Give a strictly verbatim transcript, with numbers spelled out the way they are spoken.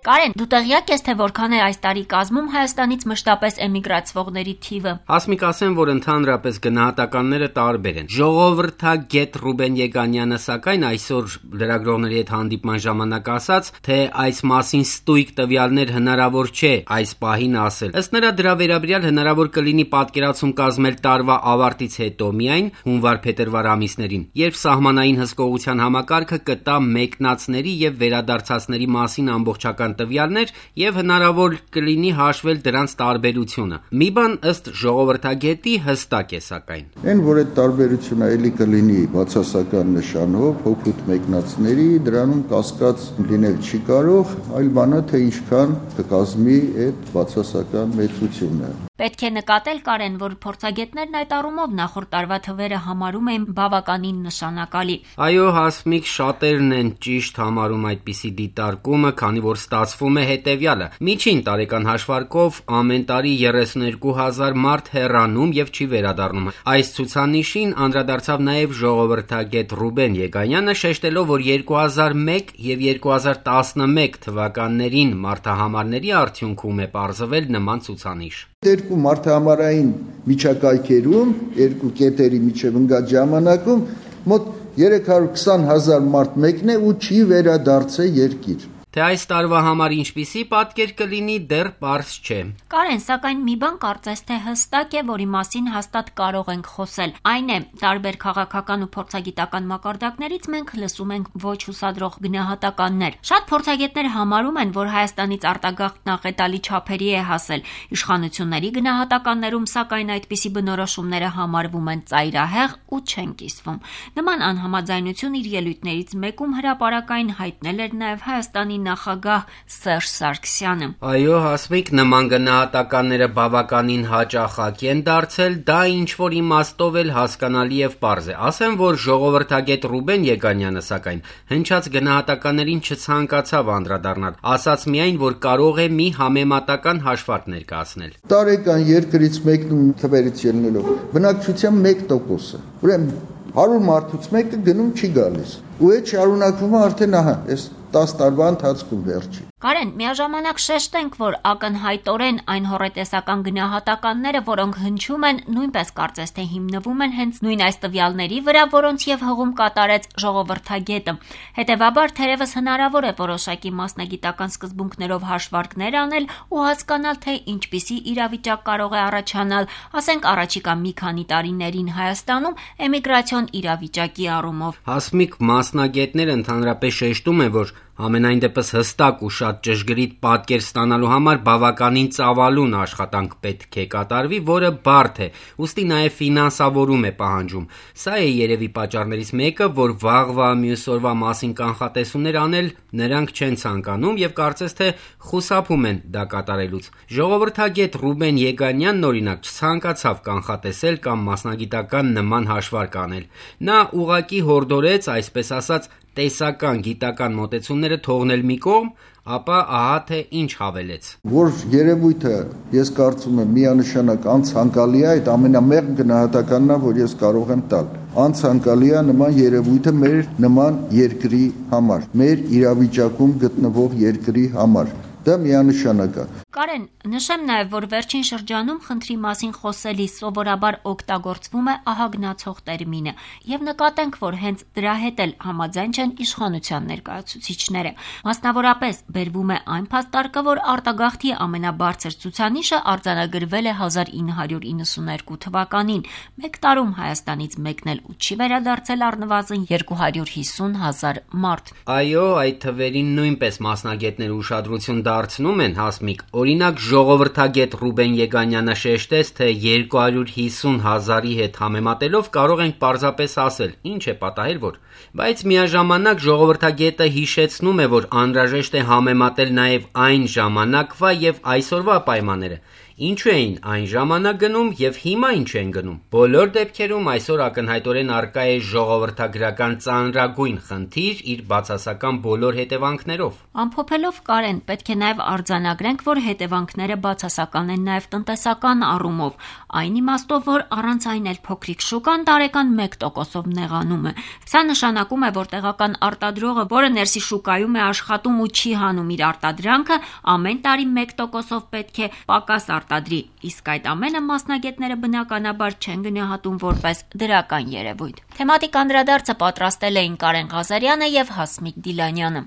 Կարեն, դու տեղյակ ես, թե որքան է այս տարի կազմում Հայաստանից մշտապես էմիգրացվողների թիվը։ Ասմիկ, ասեմ, որ ընդհանրապես գնահատականները տարբեր են։ Ժողովրդագետ Ռուբեն Եգանյանը սակայն այսօր լրագրողների հետ հանդիպման ժամանակ ասաց, թե այս մասին ստույգ տվյալներ հնարավոր չէ այս պահին ասել։ Ըստ նրա, դրա վերաբերյալ հնարավոր կլինի պատկերացում կազմել տարվա ավարտից հետո միայն հունվար-փետրվար ամիսներին, երբ սահմանային հսկողության համակարգը կտա մեկնածների եւ վերադարձածների մասին ամբողջական տվյալներ եւ հնարավոր կլինի հաշվել դրանց տարբերությունը։ Մի բան ըստ ժողովրդագետի հստակ է սակայն։ Այն, որ այդ տարբերությունը էլի կլինի բացասական նշանով, հոգուտ մեկնածների, դրանում կասկած լինել չի կարող, այլ բանը թե ինչքան կկազմի այդ բացասական մեծությունը։ Պետք է նկատել, Կարեն, որ փորձագետներն այդ առումով նախորդ տարվա թվերը համարում են բավականին նշանակալի։ Այո, Հասմիկ, շատերն են ճիշտ համարում այդպիսի դիտարկումը, քանի որ ստացվում է հետևյալը. միջին տարեկան հաշվարկով ամեն տարի երեսունհինգ հազար մարդ հեռանում եւ չի վերադառնում։ Այս ցուցանիշին անդրադարձավ նաեւ ժողովրդագետ Ռուբեն Եգանյանը, շեշտելով, որ երկու հազար մեկ եւ երկու հազար տասնմեկ թվականներին մարդահամարների արդյունքում է պարզվել նման ցուցանիշ։ Երկու մարդահամարային միջակայքերում, երկու կետերի միջև ընկած ժամանակում մոտ երեք հարյուր քսան հազար մարդ մեկն է ու չի վերադարձել երկիր։ Թե այս տարվա համար ինչպիսի պատկեր կլինի, դեռ պարզ չէ։ Կարեն, սակայն մի բան կարծես թե հստակ է, որի մասին հաստատ կարող ենք խոսել։ Այն է, տարբեր քաղաքական ու փորձագիտական մակարդակներից մենք լսում ենք ոչ հուսադրող գնահատականներ։ Շատ փորձագետներ համարում են, որ Հայաստանից արտագաղթն աղետալի չափերի է հասել։ Իշխանությունների գնահատականներում, սակայն, այդպիսի բնորոշումները համարվում են ծայրահեղ ու չեն կիսվում։ Նման անհամաձայնություն իր ելույթներից մեկում հրապարակային հայտնել էր նաև Հայաստանի նախագահ Սերժ Սարգսյանը։ Այո, Հասմիկ, նման գնահատականները բավականին հաճախակ են դարձել, դա ինչ-որ իմաստով էլ հասկանալի եւ պարզ է։ Ասեմ, որ ժողովրդագետ Ռուբեն Եգանյանը սակայն հնչած գնահատականներին չցանկացավ անդրադառնալ, ասաց միայն, որ կարող է մի համեմատական հաշվարկ ներկայացնել։ Տարեկան երկրից մեկնում թվերից ելնելով բնակչության մեկ տոկոսը։ Ուրեմն հարյուր մարդուց մեկը գնում չի գալիս։ Ու այդ շարունակվում է արդեն ահա, այս տասը տարվա ընթացքում վերջի։ Կարեն, միաժամանակ շեշտենք, որ ակնհայտորեն այն հոռետեսական գնահատականները, որոնք հնչում են, նույնպես կարծես թե հիմնվում են հենց նույն այս տվյալների վրա, որոնց եւ հղում կատարեց ժողովրդագետը։ Հետևաբար, թերևս հնարավոր է որոշակի մասնագիտական սկզբունքներով հաշվարկներ անել ու հասկանալ, թե ինչպիսի իրավիճակ կարող է առաջանալ, ասենք առաջիկա մի քանի տարիներին Հայաստանում էմիգրացիոն իրավիճակի առումով։ Հասմիկ, մասնագետները ընդհանրապես շեշտում են, որ Համենայն դեպս հստակ ու շատ ճշգրիտ պատկեր ստանալու համար բավականին ծավալուն աշխատանք պետք է կատարվի, որը բարդ է, ուստի նաև ֆինանսավորում է պահանջում։ Սա է երևի պատճառներից մեկը, որ վաղվա մյուս օրվա մասին կանխատեսումներ անել նրանք չեն ցանկանում եւ կարծես թե խուսափում են դա կատարելուց։ Ժողովրդագետ Ռուբեն Եգանյանն օրինակ չցանկացավ կանխատեսել կամ մասնագիտական նման հաշվարկ անել։ Նա ուղղակի հորդորեց, այսպես ասած, տեսական գիտական մոտեցումները թողնել մի կողմ, ապա ահա թե ինչ հավելեց։ Որ երևույթը, ես կարծում եմ, միանշանակ անցանկալի է, այդ ամենամեղմ գնահատականն է, որ ես կարող եմ տալ։ Անցանկալի է նման երևույթը մեր նման երկրի համար, մեր իրավիճակում գտնվող երկրի համար։ Դա միանշանակ է։ Կարեն, նշեմ նաև, որ վերջին շրջանում խնդրի մասին խոսելիս սովորաբար օգտագործվում է ահագնացող տերմինը, եւ նկատենք, որ հենց դրա հետ էլ համաձայն չեն իշխանության ներկայացուցիչները։ Մասնավորապես բերվում է այն փաստարկը, որ արտագաղթի ամենաբարձր ցուցանիշը արձանագրվել է հազար ինը հարյուր իննսունհինգ թվականին, մեկ տարում Հայաստանից մեկնել ու չի վերադարձել առնվազն երկու հարյուր հիսուն հազար մարդ։ Այո, այդ թվերին նույնպես մասնագետները ուշադրություն դարձնում են, Հասմիկ։ Օրինակ ժողովրդագետ Ռուբեն Եգանյանը շեշտեց, թե երկու հարյուր հիսուն հազարի հետ համեմատելով կարող ենք պարզապես ասել, ինչ է պատահել, որ։ Բայց միաժամանակ ժողովրդագետը հիշեցնում է, որ անհրաժեշտ է համեմատել նաև այն ժամանակվա եւ այսօրվա պայմանները։ Ինչու էին այն ժամանակ գնում եւ հիմա ինչ են գնում։ Բոլոր դեպքերում այսօր ակնհայտորեն առկա է ժողովրդագրական ծանրագույն խնդիր իր բացասական բոլոր հետևանքներով։ Ամփոփելով Կարեն, պետք է նաև արձանագրենք, որ հետևանքները բացասական են նաև տնտեսական առումով, այն իմաստով, որ առանց այն էլ փոքրիկ շուկան տարեկան մեկ տոկոսով նեղանում է։ Սա նշանակում է, որ տեղական արտադրողը, որը ներսի շուկայում է աշխատում ու չի հանում իր արտադրանքը, ամեն տարի մեկ տոկոսով պետք է պակաս արտադրի, իսկ այդ ամենը մասնագետները բնականաբար չեն գնահատում որպես դրական երևույթ։ Թեմատիկ անդրադարձը պատրաստել էին Կարեն Ղազարյանը եւ Հասմիկ Դիլանյանը։